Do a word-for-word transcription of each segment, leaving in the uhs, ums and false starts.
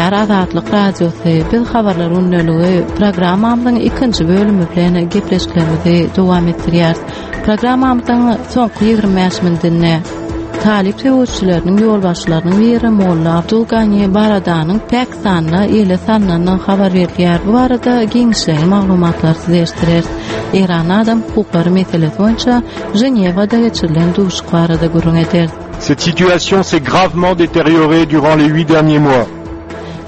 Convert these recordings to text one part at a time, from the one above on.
diňleýär Azatlyk Radiosy. Biz habarlar gündeligi programmamyzyň ikinji bölümi bilen gepleşiklerimizi dowam etdirýäris. Programmamyzyň soňky ýigrimi bäş minutynda Talyp söweşçileriniň ýolbaşçylarynyň biri Molla Abdul Gani Baradanyň Pakistanda ele salnandygy habar berilýär. Bu barada giňişleýin maglumatlary size eşitdireris. Eýran adam hukuklary meselesi boýunça Ženewada geçirilen duşuşyk barada gürrüň ederis. Cette situation s'est gravement détériorée durant les huit derniers mois.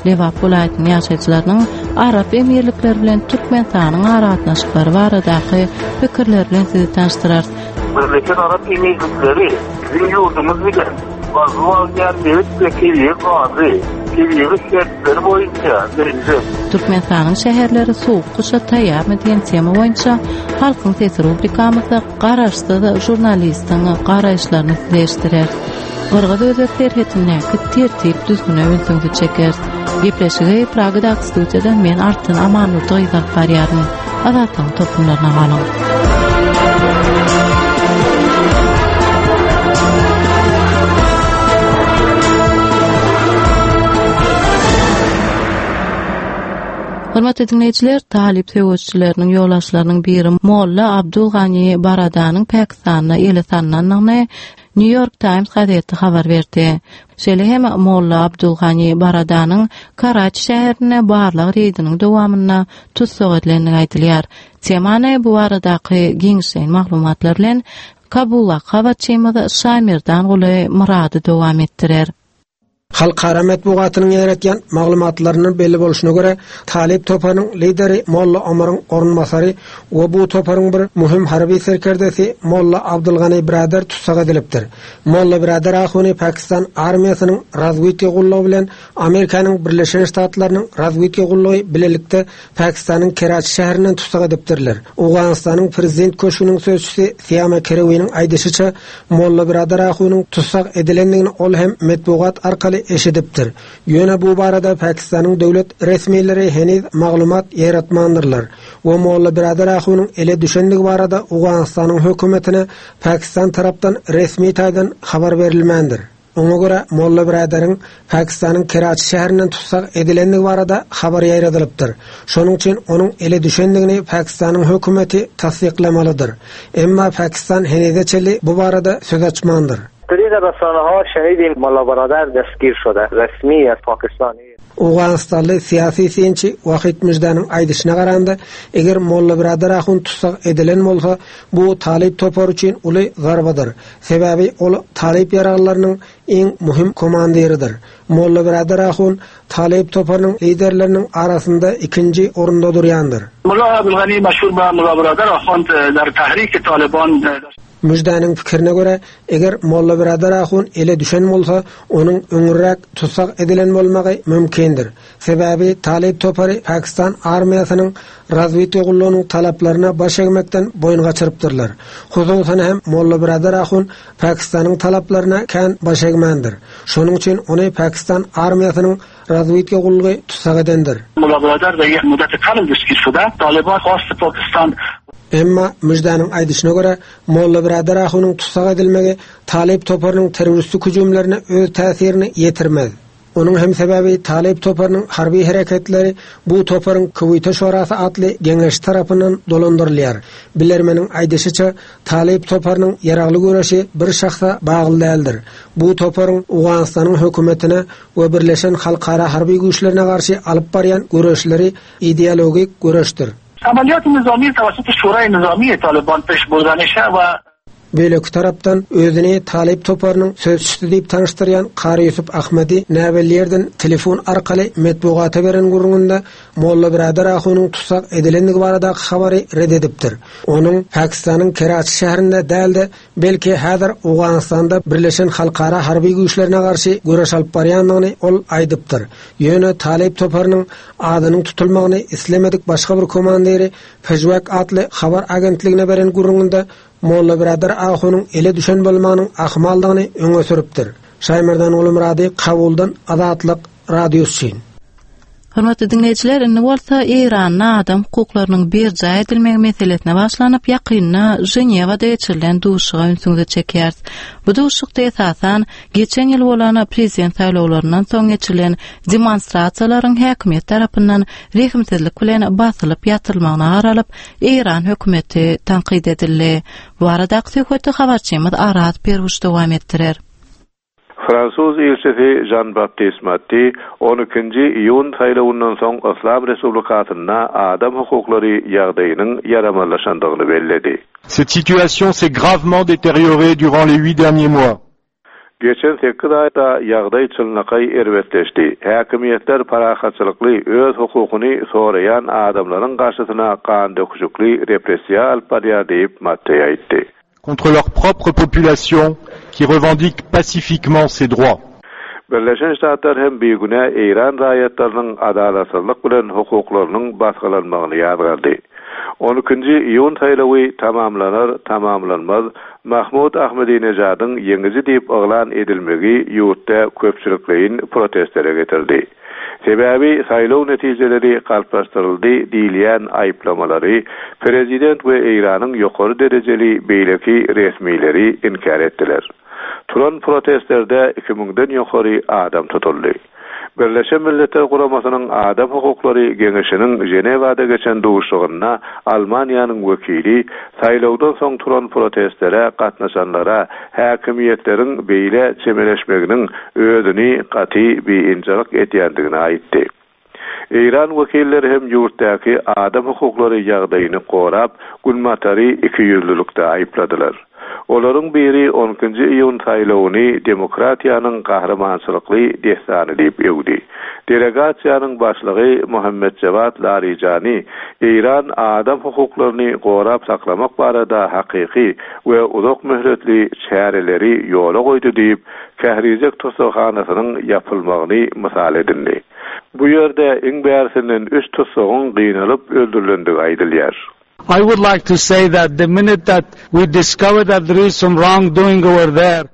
Lebap welaýatynyň ýaşaýjylarynyň Arap Emirlikleri bilen Türkmenistanyň aragatnaşyklary baradaky pikirleri bilen sizi tanyşdyrarys. Birleşen Arap Emirlikleri biziň ýurdumyz bilen gazyp alynýan nebit we tebigy gazy, tebigy şertleri boýunça meňzeş. Türkmenistanyň şäherleri sowuk gyşa taýýarmy diýen tema boýunça Halkyň sesi rubrikamyzda garaşsyz žurnalistiň garaýyşlaryny size eşitdireris. Gyrgyz-özbek serhetindäki tertip-düzgüne ünsüňizi çekeris. Gepleşigi Pragadaky studiýadan men Altyn Amanurdy gyz alyp barýaryn. Azatlygyň tolkunlaryna galyň. Hormatly diňleýjiler, talyp söweşçileriniň ýolbaşçylarynyň biri Molla Abdul Gani Baradanyň Pakistanda ele salnandygyny New York Times gazeti habar berdi. Şeýle hem Molla Abdul Gani Baradanyň Karaçi şäherinde barlag reýdiniň dowamynda tussag edilendigi aýdylýar. Temany bu baradaky giňişleýin maglumatlar bilen Kabuldaky habarçymyz Şaýmerdanguly Myrady dowam etdirer. Halkara metbugatynyň ýaýratýan maglumatlaryndan belli bolşuna görä, Talyp toparynyň lideri Molla Omaryň orunbasary we bu toparyň bir möhüm harby serkerdesi Molla Abdulgani Brader tussag edilipdir. Molla Brader Ahuny Pakistan armiýasynyň razwedka gullugy bilen Amerikanyň Birleşen Ştatlarynyň razwedka gullugy bilelikde Pakistanyň Keraçi şäherinden tussag edipdirler. Owganystanyň prezident köşgüniň sözçüsi Siýama Kerewiniň aýdyşyça, Molla Brader Ahunyň tussag edilendigini ol hem metbugat arkaly eşidipdir. Ýöne bu barada Pakistanyň döwlet resmileri heniz maglumat ýaýratmandyrlar we Molla Brader Ahunyň ele düşendigi barada Owganystanyň hökümetine Pakistan tarapdan resmi taýdan habar berilmändir. Oňa görä Molla Braderiň Pakistanyň Keraçi şäherinden tussag edilendigi barada habar ýaýradylypdyr. Şonuň üçin onuň ele düşendigini Pakistanyň hökümeti tassyklamalydyr. Emma Pakistan henize çenli bu barada söz açmandyr. طریق رسانه ها شنیدیم ملا برادر دستگیر شده رسمی از پاکستان. Owganystanly syýasy synçy Wahid Müjdäniň aýdyşyna garanda, eger Molla Brader Ahun tussag edilen bolsa, bu Talyp topary üçin uly zarbadyr. Sebäbi ol Talyp ýaraglarynyň iň möhüm komandiridir. Molla Brader Ahun Talyp toparynyň liderleriniň arasynda ikinji orunda durýandyr. Molla Abdulgani meşhur ba Molla Brader Ahun der tahrik Taliban. Müjdäniň pikirine görä, eger Molla Brader Ahun ele düşen bolsa, onuň öňürräk tussag edilen bolmagy mümkindir. Sebäbi Talyp topary Pakistan armiýasynyň razwedka gullugynyň talaplaryna baş egmekden boýun gaçyrypdyrlar. Hususan hem Molla Brader Ahun Pakistanyň talaplaryna kän baş egmändir. Şonuň üçin ony Pakistan armiýasynyň razwedka gullugy tussag edendir. Molla Brader da یک مدت کم دستگیر شده. Taliban خواست Pakistan. Emma Müjdäniň aýdyşyna görä, Molla Brader Ahunyň tussag edilmegi Talyp toparynyň terroristik hüjümlerine öz täsirini ýetirmez. Onuň hem sebäbi Talyp toparynyň harby hereketleri bu toparyň Kuwaýta Şurasy atly geňeş tarapyndan dolandyrylýar. Bilermeniň aýdyşyça, Talyp toparynyň ýaragly göreşi bir şahsa bagly däldir. Bu toparyň Owganystanyň hökümetine we Birleşen Halkara harby güýçlerine garşy alyp barýan göreşleri ideologik göreşdir. Amaliyat nizami tawassutu Şurayı Nizami Taliban peş burdanişe ve Beýleki tarapdan özüni Talyp toparynyň sözçüsi diýip tanyşdyrýan Kary Ýusuf Ahmedi näbelli ýerden telefon arkaly metbugata beren gürrüňinde Molla Brader Ahunyň tussag edilendigi baradaky habary red edipdir. Onuň Pakistanyň Keraçi şäherinde dälde, belki häzir Owganystanda Birleşen Halkara harby güýçlerine garşy göreş alyp barýandygyny ol aýdypdyr. Ýöne Talyp toparynyň adynyň tutulmagyny islemedik başga bir komandiri Pejwak atly habar agentligine beren gürrüňinde Molla Brader Ahunyň ele düşen bolmagynyň ahmaldygyny öňe sürüpdir. Şaýmerdan Gulmyrady Kabuldan Azatlyk Radiosy üçin. Hormatly diňleýjiler, indi bolsa Eýranda adam hukuklarynyň berjaý edilmegi meselesine başlanyp, ýakynda Ženewada geçirilen duşuşyga ünsüňizi çekýäris. Bu duşuşykda esasan geçen ýyl bolan prezident saýlawlaryndan soň geçirilen demonstrasiýalaryň häkimiýet tarapyndan rehimsizlik bilen basylyp ýatyrylmagyna garalyp, Eýran hökümeti tankyt edildi. Bu baradaky söhbeti habarçymyz Araz Perwuş dowam etdirer. Fransuz ilçisi Jean-Baptiste Mattei on ikinji iýun saýlawyndan soň Yslam Respublikasynda adam hukuklary ýagdaýynyň ýaramazlaşandygyny belledi. Cette situation s'est gravement détériorée durant les huit derniers mois. Geçen sekiz aýda ýagdaý çynlakaý erbetleşdi. Häkimiýetler parahatçylykly öz hukukyny soraýan adamlaryň garşysyna gan döküşikli repressiýa alyp barýar diýip Mattei aýtdy. Contre leur propre population qui revendique pacifiquement ses droits. Birleşen Ştatlar hem bigünä Eýran raýatlarynyň adalatsyzlyk bilen hukuklarynyň basgylanmagyny ýazgardy. On ikinji iýun saýlawy tamamlanar, tamamlanmaz, Mahmud Ahmedinejadyň ýeňiji diýip yglan edilmegi ýurtda köpçülikleýin protestlere getirdi. Sebäbi saýlaw netijeleri galplaşdyryldy diýilýän aýyplamalary prezident we Eýranyň ýokary derejeli beýleki resmileri inkär etdiler. Turan protestlerde iki müňden ýokary adam tutuldy. Birleşen Milletler Guramasynyň Adam Hukuklary Geňeşiniň Ženewada geçen duşuşygynda Almaniýanyň wekili saýlawdan soň turan protestlere gatnaşanlara häkimiýetleriň beýle çemeleşmeginiň özüni gaty biynjalyk edýändigini aýtdy. Eýran wekilleri hem ýurtdaky adam hukuklary ýagdaýyny gorap, Günbatary iki ýüzlülükde aýypladylar. Olaryň biri on ikinji iýun saýlawyny demokratiýanyň gahrymançylykly dessany diýip öwdi. Delegasiýanyň başlygy Muhammed Jawad Larijani Eýran adam hukuklaryny gorap saklamak barada hakyky we uzak möhletli çäreleri ýola goýdy diýip, Kährizek tussaghanasynyň ýapylmagyny mysal edindi. Bu ýerde iň bärsinden üç tussagyň gynalyp öldürilendigi aýdylýar. I would like to say that the minute that we discover that there is some wrongdoing over there,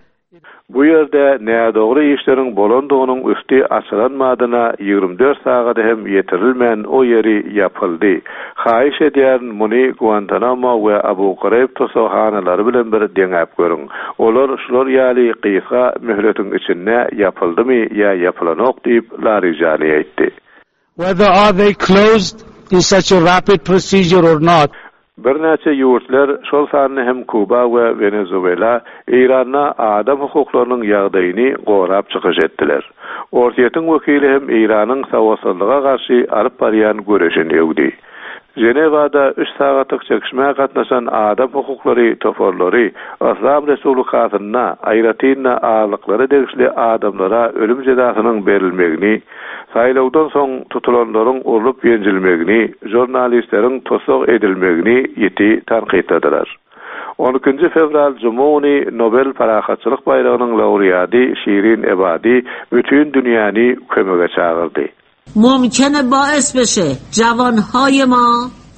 Bu ýerde nädogry işleriň bolandygynyň üsti açylan madyna ýigrimi dört sagada hem ýetirilmän o ýeri ýapyldy. Haýyş edýärin muny Guantanamo we Abu Ghraib tussaghanalary bilen bir deňäp görüň. Olar şular ýaly gysga möhletiň içinde ýapyldymy ýa ýapylanok diýip Larijani aýtdy. Whether are they closed in such a rapid procedure or not. Birnäçe ýurtlar, şol sanda hem Kuba we Wenezuela Eýranda adam hukuklarynyň ýagdaýyny gorap çykyş etdiler. Orsýetiň wekili hem Eýranyň sowatsyzlyga garşy alyp barýan göreşini öwdi. Ženewada üç sagatlyk çekişmä gatnaşan adam hukuklary toparlary Yslam Respublikasynda aýratyn azlyklara degişli adamlara ölüm jezasynyň berilmegini, saýlawdan soň tutulanlaryň urlup ýenjilmegini, žurnalistleriň tussag edilmegini ýiti tankytladylar. On ikinji fewral Juma güni Nobel parahatçylyk baýragynyň laureaty Şirin Ebadi bütün dünýäni kömege çagyrdy. Mümkine باعث بشه جوانهای ما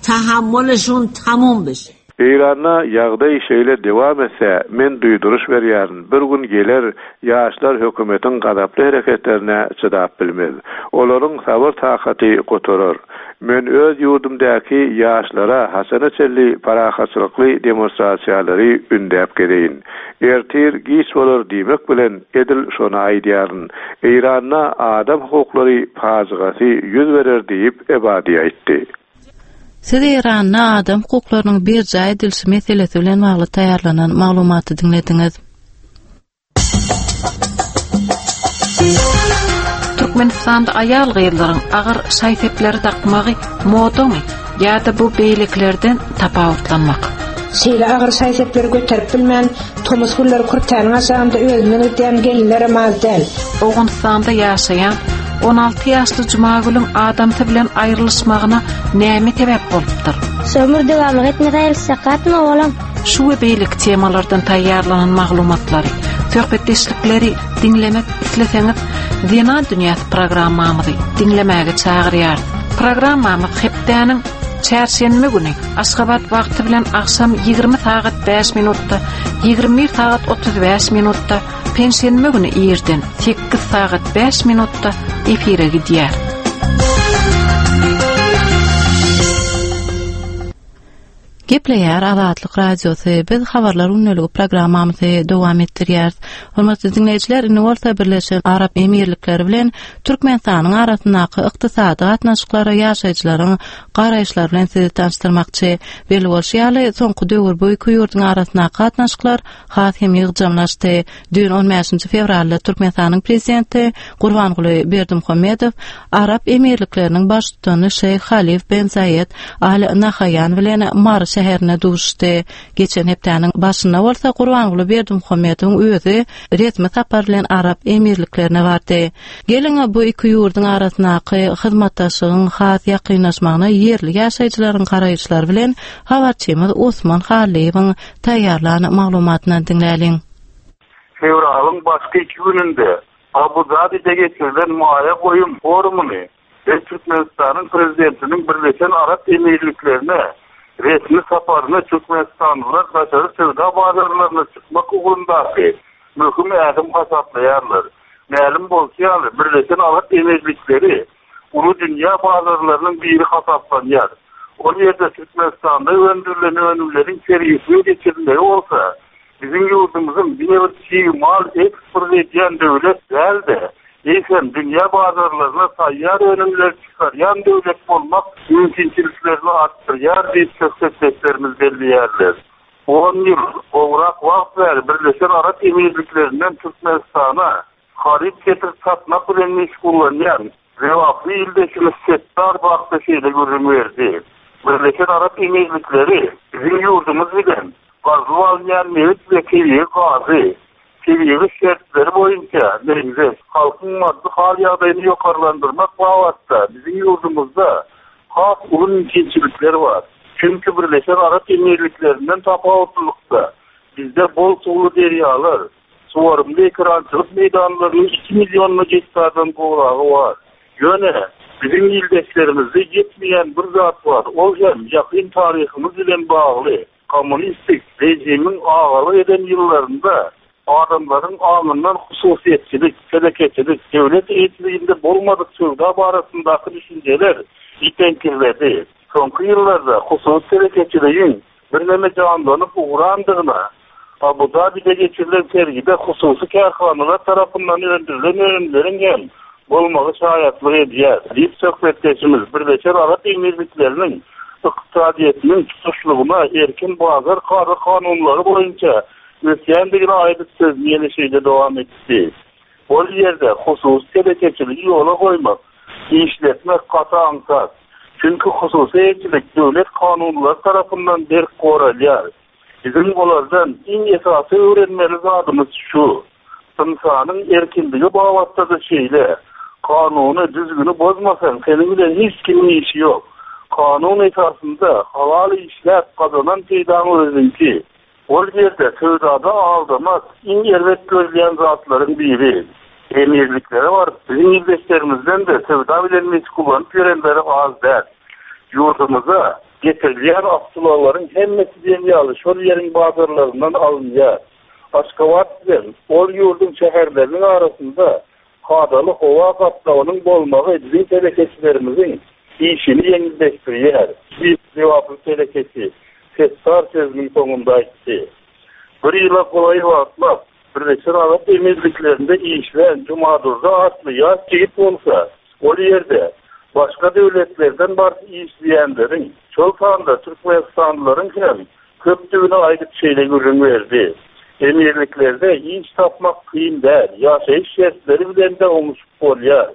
تحملشون تموم بشه. Eýranda ýagdaý şeýle dewam etse, men duýduryş berýärin. Bir gün geler ýaşlar hökümetiň gazaply hereketlerine çydap bilmez. Olaryň sabyr takaty gotarar. Men öz ýurdumdaky ýaşlara haçana çenli parahatçylykly demonstrasiýalary ündäp geleýin. Ertir giç bolar diýmek bilen edil şony aýdýaryn. Eýranda adam hukuklary pajygasy ýüz berer diýip Ebadi aýtdy. Siz Eýranda adam hukuklarynyň berjaý edilişi meselesi bilen bagly taýýarlanan maglumaty diňlediňiz. Türkmenistanda aýal gyzlaryň agyr şaý-sepleri dakmagy modamy ýa-da bu beýlekilerden tapawutlanmak? Şeýle agyr şaý-sepleri göterip bilmän, tomus günleri kürtäniň aşagynda özünden ötýän gelinler az däl. Owganystanda ýaşaýan on alty ýaşly Jumagülüň adamsy bilen aýrylyşmagyna näme sebäp bolupdyr? Sömür dewamlyk etmese aýrylsak gatma olam. Şu we beýleki temalardan taýýarlanan maglumatlary, söhbetdeşlikleri diňlemek isleseňiz, Zenan Dünýäsi programmamyzy diňlemäge çagyrýarys. Programmamyz hepdäniň çarşenbe güni Aşgabat wagty bilen agşam ýigrimi sagat bäş minutda, ýigrimi bir sagat otuz bäş minutda, penşenbe güni irden sekiz sagat bäş minutda efire gidýär. Gepleýär Azatlyk Radiosy. Biz habarlar gündeligi programmamyzy dowam etdirýäris. Hormatly diňleýjiler, indi bolsa Birleşen Arap Emirlikleri bilen Türkmenistanyň arasyndaky ykdysady gatnaşyklara ýaşaýjylaryň garaýyşlary bilen sizi tanyşdyrmakçy. Belli bolşy ýaly, soňky döwür bu iki ýurduň arasyndaky gatnaşyklar has hem ýygjamlaşdy. Düýn on bäşinji fewralda Türkmenistanyň Prezidenti Gurbanguly Berdimuhamedow Arap Emirlikleriniň Baştutany Şeýh Halif ben Zaýed Al Nahaýan bilen Mary şäherinde duşuşdy. Geçen hepdäniň başynda bolsa Gurbanguly Berdimuhamedowyň özi resmi sapar bilen Arap Emirliklerine bardy. Geliň, bu iki ýurduň arasyndaky hyzmatdaşlygyň has ýakynlaşmagyna ýerli ýaşaýjylaryň garaýyşlary bilen habarçymyz Osman Hallyýewiň taýýarlan maglumatyny diňläliň. Fewralyň başky iki gününde Abu Dabide geçirilen maýa goýum forumyny we Türkmenistanyň Prezidentiniň Birleşen Arap Emirliklerine resmi saparyny türkmenistanlylar daşary söwda bazarlaryna çykmak ugrundaky möhüm ädim hasaplaýarlar. Mälim bolşy ýaly, Birleşen Arap Emirlikleri uly dünýä bazarlarynyň biri hasaplanýar. Ol ýerde Türkmenistanda öndürilen önümleriň sergisiniň geçirilmegi bolsa, biziň ýurdumyzyň diňe bir çig mal eksport edýän döwlet däl-de, eýsem dünýä bazarlaryna taýýar önümleri çykarýan döwlet bolmak mümkinçiliklerini artdyrýar diýip söhbetdeşlerimiz belleýärler. On ýyl gowrak wagt bäri Birleşen Arap Emirliklerinden Türkmenistana haryt getirip satmak bilen meşgullanýan Lebaply ildeşimiz Setdar Bakda şeýle gürrüň berdi. Birleşen Arap Emirlikleri biziň ýurdumyz bilen gazylyp alynýan nebit we tebigy gazy, tebigy şertleri boýunça meňzeş halkyň maddy hal ýagdaýyny ýokarlandyrmak babatda biziň ýurdumyzda has uly mümkinçilikler bar. Çünki Birleşen Arap Emirliklerinden tapawutlylykda bizde bol suwly derýalar, suwarymly ekerançylyk meýdanlarynyň iki millionly gektardan gowragy bar. Ýöne biziň ildeşlerimizde ýetmeýän bir zat bar. Ol hem ýakyn taryhymyz bilen bagly. Kommunistik režimiň agalyk eden ýyllarynda adamlaryň aňyndan hususyýetçilik, telekeçilik, döwlet eýeçiliginde bolmadyk söwda barasyndaky düşünjeler itenkirledi. Soňky ýyllarda hususy telekeçiligiň birneme janlanyp ugrandygyna Abu Dabide geçirilen sergide hususy kärhanalar tarapyndan öndürilen önümleriň hem bolmagy şaýatlyk edýär. Diýip söhbetdeşimiz Birleşen Arap Emirlikleriniň ykdysadyýetiniň tutuşlygyna erkin bazar kada kanunlary boýunça ösýändigini aýdyp sözüni ýene şeýle dowam etdi. Ol ýerde hususy telekeçiligi ýola goýmak, işletmek gaty aňsat. Çünki hususy eýeçilik döwlet kanunlary tarapyndan berk goralýar. Biziň olardan iň esasy öwrenmeli zadymyz şu. Ynsanyň erkinligi babatda-da şeýle. Kanuny düzgüni bozmasaň, seniň bilen hiç kimiň işi ýok. Kanun esasynda halal işläp gazanan peýdaň özüňki. Ol ýerde söwdada aldamak iň erbet görülýän zatlaryň biri. Emirliklere baryp, biziň ildeşlerimizden-de söwda bilen meşgullanyp ýörenleri az däl. Ýurdumyza getirilýän awtoulaglaryň hemmesi diýen ýaly şol ýeriň bazarlaryndan alynýar. Aşgabat bilen ol ýurduň şäherleriniň arasynda kadaly howa gatnawynyň bolmagy biziň telekeçilerimiziň işini ýeňilleşdirýär. Diýip Lebaply telekeçi Setdar sözüniň soňunda aýtdy. Bir ýyla golaý wagtlap Birleşen Arap Emirliklerinde işlän Jumadurdy atly ýaş ýigit bolsa, ol ýerde başga döwletlerden baryp işleýänleriň, şol sanda Türkmenistanlylaryň hem köpdügini aýdyp şeýle gürrüň berdi. Emirliklerde iş tapmak kyn däl, ýaşaýyş şertleri bilen de oňuşyp bolýar.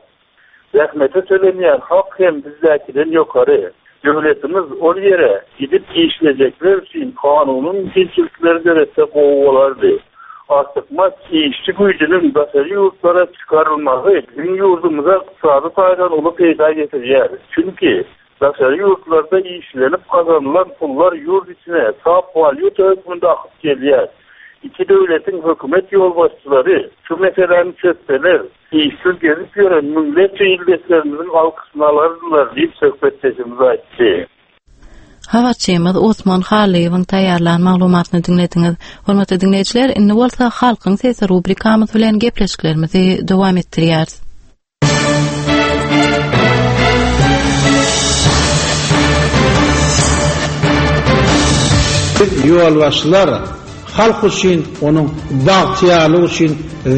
Zähmete tölenýän hak hem bizdäkiden ýokary. Döwletimiz ol ýere gidip işlejekler üçin kanunyň mümkinçilikleri döretse gowy bolardy. Artykmaç işçi güýjüniň daşary ýurtlara çykarylmagy biziň ýurdumyza ykdysady taýdan uly peýda getirýär. Çünki daşary ýurtlarda işlenip gazanylan pullar ýurt içine sap walýuta hökmünde akyp gelýär. Iki döwletiň hökümet ýolbaşçylary şu meseläni çözseler, işsiz gezip ýören müňlerçe ildeşlerimiziň alkyşyny alardylar diýip söhbetdeşimiz aýtdy. Habarçymyz Osman Hallyýewiň taýýarlan maglumatyny diňlediňiz. Hormatly diňleýjiler, indi bolsa Halkyň sesi rubrikamyz bilen gepleşiklerimizi dowam etdirýäris. Biz ýolbaşçylar halk üçin, onuň bagtyýarlygy üçin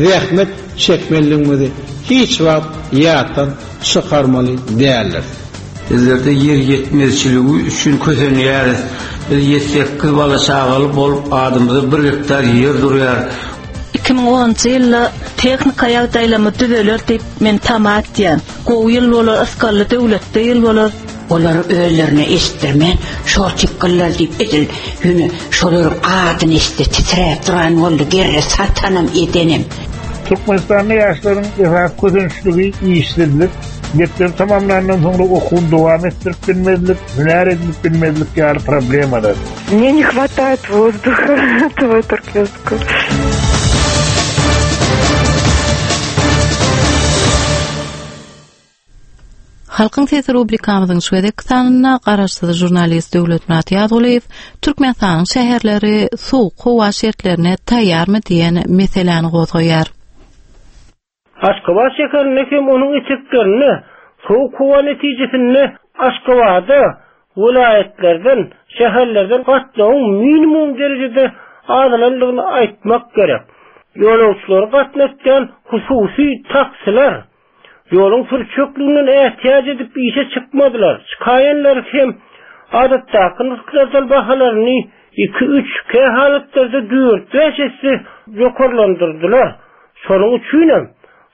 zähmet çekmelidigimizi hiç wagt ýatdan çykarmaly däldiris. Bizlerde ýer ýetmezçiligi üçin kösenýäris. Biz ýedi-sekiz bala çagaly bolup, adymyza bir gektar ýer durýar. Iki müň onunjy ýylda tehnika ýagdaýlamy düzeler diýip men tama etýän. Gowy ýyl bolar, ysgally döwletli ýyl bolar. Olary özlerine eşitdirmän, şor çykgyllar diýip edil, ýöne şolaryň adyny eşitse titräp duran boldy, gerre satanam edenem. Türkmenistanda ýaşlaryň esasy kösençligi işsizlik, mekdebi tamamlandan soňra okuwyny dowam etdirip bilmezlik, hünär edinip bilmezlik ýaly problemalar. Мне не хватает воздуха этого туркменского. Halkyň sesi rubrikamyzyň şu gezekki sanynda garaşsyz žurnalist Döwletmyrat Ýazgulyýew Türkmenistanyň şäherleri sowuk howa şertlerine taýýarmy diýen meseläni gozgaýar. Aşgabat şäherinde hem onuň eteklerinde sowuk howa netijesinde Aşgabatda welaýatlardan, şäherlerden gatnawyň minimum derejede azalandygyny aýtmak gerek. Ýolagçylary gatnatýan hususy taksiler ýoluň sürçekliginden ätiýaç edip işe çykmadylar. Çykaýanlar hem adatdaky nyrhlardan bahalaryny iki üç, kä halatlarda dört bäş esse ýokarlandyrdylar. Şonuň üçinem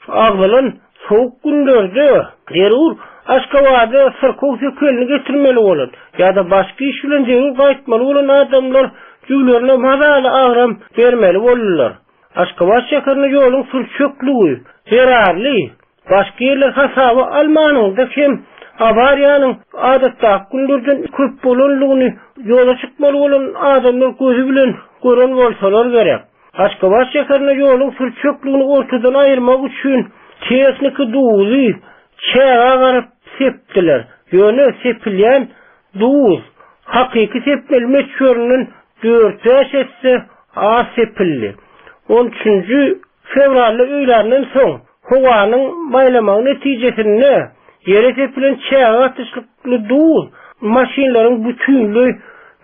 agzalan sowuk günlerde zerur Aşgabatda syrkaw sökelini getirmeli bolan ýa-da başga iş bilen zerur gaýtmaly bolan adamlar jüwlerine mazaly agram bermeli boldular. Aşgabat şäherinde ýoluň sürçekligi zerarly başga ýerler hasaba almanyňda hem awariýanyň adatdaky günlerden köp bolanlygyny ýola çykmaly bolan adamlar gözi bilen gören bolsalar gerek. Aşgabat şäherinde ýoluň sürçekligini ortadan aýyrmak üçin tehniki duzy çäge garyp sepdiler. Ýöne sepilýän duz hakyky sepmeli möçberinden dört bäş esse az sepildi. On üçünji fewralda öýlerinden soň howanyň maýlamagy netijesinde ýere sepilen çäge gatyşlykly duz maşynlaryň bütünleý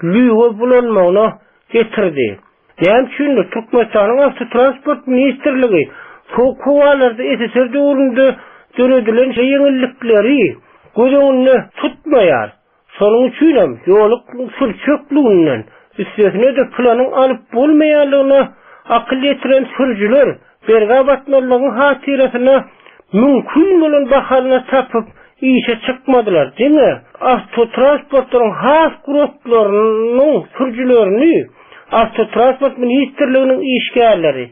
lüwe bulanmagyna getirdi. Näme üçindir Türkmenistanyň Awtotransport ministrligi sowuk howalarda S S R döwründe döredilen ýeňillikleri göz öňünde tutmaýar. Şonuň üçinem ýoluň sürçekliginden üstesine-de planyň alyp bolmaýanlygyna akyl ýetiren sürüjiler berga batmalygyň hatyrasyna mümkin bolan bahalyna tapyp işe çykmadylar. Diňe awtotransportlaryň has guratlarynyň sürüjilerini Awtotransport ministrliginiň işgärleri,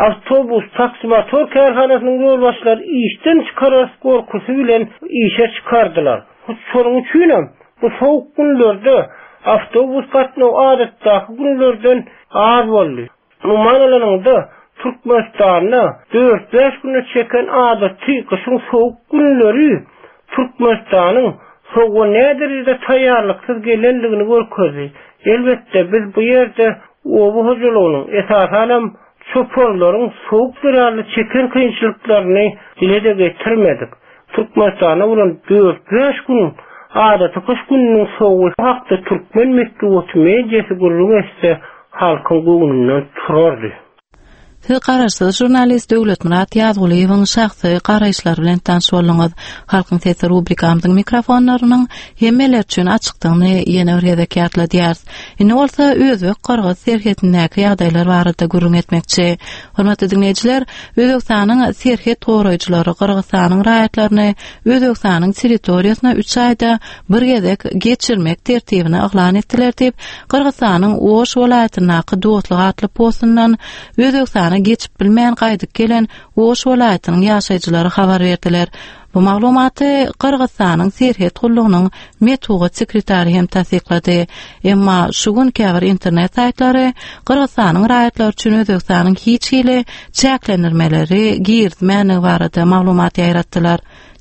awtobus, taksimotor kärhanasynyň ýolbaşçylary işden çykarar gorkusy bilen işe çykardylar. Hut şonuň üçinem bu sowuk günlerde awtobus gatnawy adatdaky günlerden az boldy. Umuman alanyňda Türkmenistanda dört bäş güne çeken adaty gyşyň sowuk günleri Türkmenistanyň sowuga näderejede taýýarlyksyz gelendigini görkezdi. Elbetde biz bu ýerde oba hojalygynyň, esasanam çopanlaryň sowuk zerarly çeken kynçylyklaryny dile-de getirmedik. Türkmenistanda bolan dört bäş gün adaty gyş gününiň sowugy hakda türkmen metbugaty mediasy gürrüň etse halkyň göwnünden turardy. Siz garaşsyz žurnalist Döwletmyrat Ýazgulyýewiň şahsy garaýyşlary bilen tanyş bolduňyz. Halkyň sesi rubrikamyzyň mikrofonlarynyň hemmeler üçin açykdygyny ýene bir gezek ýatladýarys. Indi bolsa Özbek-Gyrgyz serhedindäki ýagdaýlar barada gürrüň etmekçi. Hormatly dinleýjiler, Özbekistanyň serhet goraýjylary Gyrgyzystanyň raýatlaryny Özbekistanyň territoriýasyna üç aýda bir gezek geçirmek tertibini yglan etdiler diýip, Gyrgyzystanyň Oş welaýatyndaky Dostluk atly postundan Özbekistana geçip bilmän gaýdyp gelen Oş welaýatynyň ýaşaýjylary habar berdiler. Bu maglumaty Gyrgyzystanyň serhet gullugynyň metbugat sekretary hem tassyklady. Emma şu gün käbir internet saýtlary Gyrgyzystanyň raýatlary üçin Özbekistanyň hiç hili çäklendirmeleri girizmänligi barada maglumat ýaýratdylar.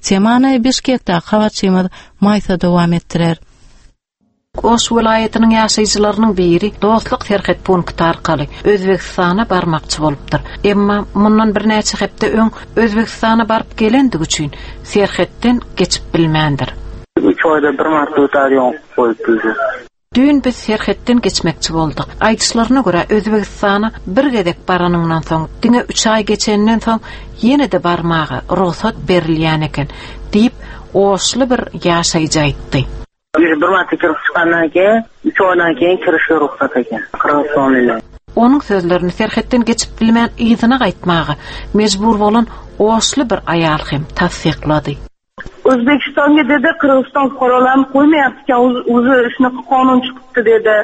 Temany Bişkekdäki habarçymyz Maýsa dowam etdirer. Oş welaýatynyň ýaşaýjylarynyň biri Dostluk serhet punkty arkaly Özbekistana barmakçy bolupdyr. Emma mundan birnäçe hepde öň Özbekistana baryp gelendigi üçin serhetden geçip bilmändir. Üç aýda bir marta utar ýok goýup bildi. Düýn biz serhetden geçmekçi bolduk. Aýdyşlaryna görä Özbegistana bir gezek baranyňdan soň, diňe üç aý geçenden soň ýene-de barmaga rugsat berilýän eken, diýip, oşly bir ýaşaýjy aýtdy. Bir wagty kirip çykandan keyin, üç aýdan keyin kirişe rugsat eken. Gyrgyzystan ile. Onuň sözlerini serhetden geçip bilmän yzyna gaýtmaga mejbur bolan oşly bir aýal hem tassyklady. O'zbekistonga dedi Qirg'iziston fuqarolarini qo'ymayapti ekan, o'zi shunaqa qonun chiqibdi dedi.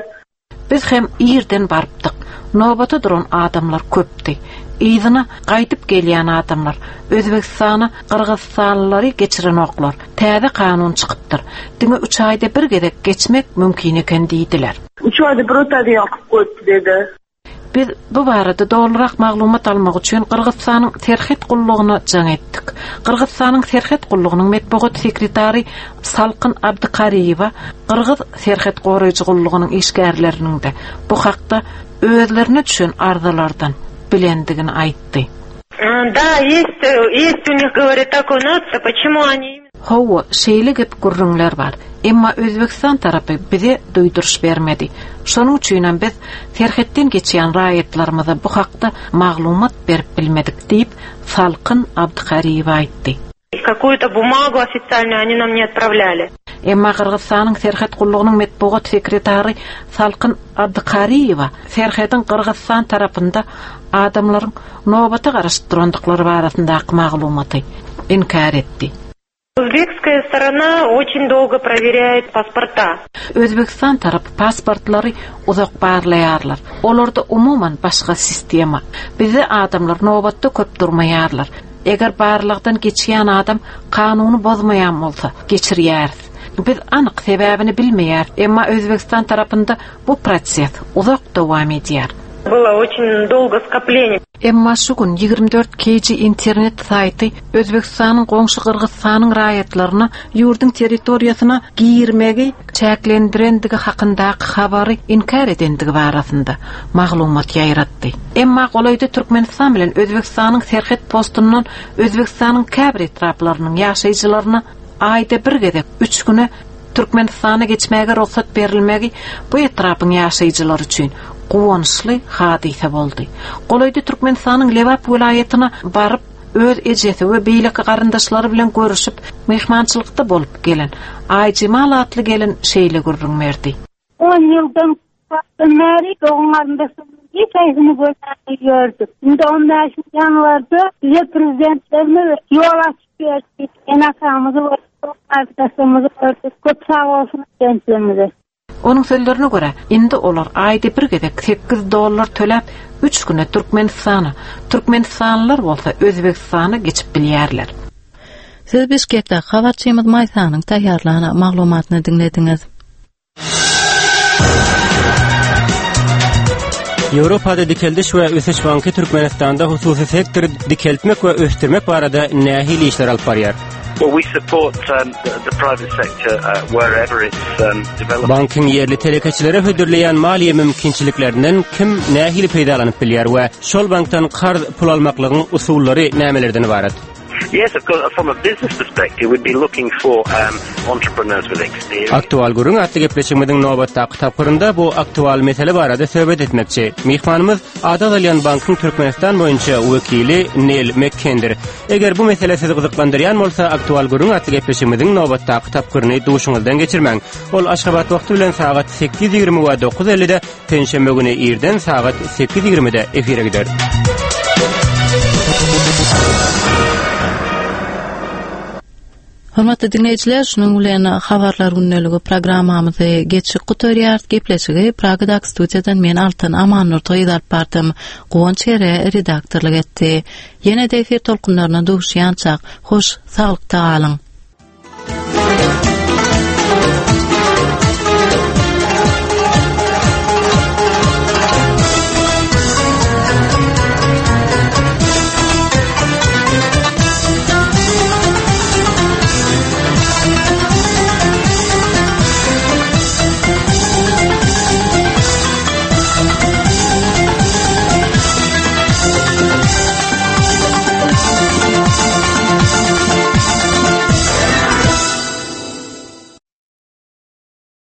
Biz hem irden barypdyk. Nobata duran adamlar köpdi. Yzyna gaýdyp gelýän adamlar Özbegistana Gyrgyzystanlylary geçirenoklar. Täze kanun çykypdyr. Diňe üç aýda bir gezek geçmek mümkin eken diýdiler. Uch oyda bir o'tadigan qilib qo'yibdi dedi. Biz bu barada dolurak maglumat almak üçin Gyrgyzystanyň serhet gullugyna jaň etdik. Gyrgyzystanyň serhet gullugynyň metbugat sekretary Salkyn Abdykariýewa Gyrgyz serhet goraýjy gullugynyň işgärleriniň de bu hakda özlerine düşen arzalardan bilendigini aýtdy. Да, есть, есть у них, говорит, такой нация, почему они Hawa, şeýle gep gürrüňler bar. Emma Özbegistan tarapy bize duýduryş bermedi. Şonuň üçin hem biz serhetden geçýän raýatlarymyza bu hakda maglumat berip bilmedik diýip Salkyn Abdykariýewa aýtdy. Какую-то бумагу официальную они нам не отправляли. Emma Gyrgyzystanyň serhet gullugynyň metbugat sekretary Salkyn Abdykariýewa serhediň Gyrgyzystan tarapynda adamlaryň nobata garaşyp durandyklary barasyndaky maglumaty inkär etdi. Узбекская сторона очень долго проверяет паспорта. Özbegistan tarapy pasportlary uzak barlaýarlar. Olarda umuman başga sistema. Bizde adamlar nobatda köp durmaýarlar. Eger barlykdan geçýän adam kanuny bozmaýan bolsa, geçirýäris. Biz anyk sebäbini bilmeýär, emma Özbegistan tarapynda bu proses uzak dowam edýär. Было очень долго скопление. Emma şu gün ýigrimi dört K G internet saýty Özbegistanyň goňşy Gyrgyzystanyň raýatlaryna ýurduň territoriýasyna girmegi çäklendirendigi hakyndaky habary inkär edendigi barasynda maglumat ýaýratdy. Emma golaýda Türkmenistan bilen Özbegistanyň serhet postundan Özbegistanyň käbir etraplarynyň ýaşaýjylaryna aýda bir gezek üç güne Türkmenistana geçmäge rugsat berilmegi bu etrapyň ýaşaýjylary üçin guwançly hadysa boldy. Golaýda Türkmenistanyň Lebap welaýatyna baryp öz ejesi we beýleki garyndaşlary bilen görüşip mehmançylykda bolup gelen Aýjemal atly gelen şeýle gürrüň berdi. On ýyldan bäri dogan garyndaşlarymyň hiç haýsyny görmän gördük. Indi on bäş ýanwarda bize prezidentlerimiz ýol açyp berdi. Ene-atamyzy gördük, arkadaşlarymyzy gördük. Köp sag bolsun prezidentlerimize. Onuň sözlerine görä, indi olar aýda bir gezek sekiz dollar töläp üç güne Türkmenistana, Türkmenistanlylar bolsa Özbegistana geçip bilýärler. Siz Bişkekde habarçymyz Maýsanyň taýýarlan maglumatyny diňlediňiz. Ýewropada Dikeldiş we Ösüş Banky Türkmenistanda hususy sektory dikeltmek we ösdürmek barada nähili işler alyp barýar? Well, we support um, the, the private sector uh, wherever it's um, developed. Bankyň ýerli telekeçilere hödürleýän maliýe mümkinçiliklerinden kim nähili peýdalanyp bilýär we şol bankdan karz pul almaklygyň usullary nämelerden ibarat? Yes, of course, from a business perspective, we'd be looking for um, entrepreneurs with experience. Aktual gürrüň atly gepleşigimiziň nobatdaky tapgyrynda bu aktual mesele barada söhbet etmekçi. Myhmanymyz Ada alýan bankyň Türkmenistan boýunça wekili Neil McKendir. Eger bu mesele sizi gyzyklandyrýan bolsa, aktual gürrüň atly gepleşigimiziň nobatdaky tapgyryny duşuňyzdan geçirmäň. Ol Aşgabat wagty bilen sagat sekiz ýigrimi we dokuz ellide, penşenbe güni irden sagat sekiz ýigrimide efire gider. Hormatly dinleýjiler, şunuň bilen habarlar gündeligi programmamyzy geçip gutarýarys. Gepleşigi Pragadaky studiýadan men Altan Amannurdy alyp bardym. Guwanç Ere redaktorlyk etdi. Ýene de efir tolkunlaryna duşýançak, hoş saglykda galyň.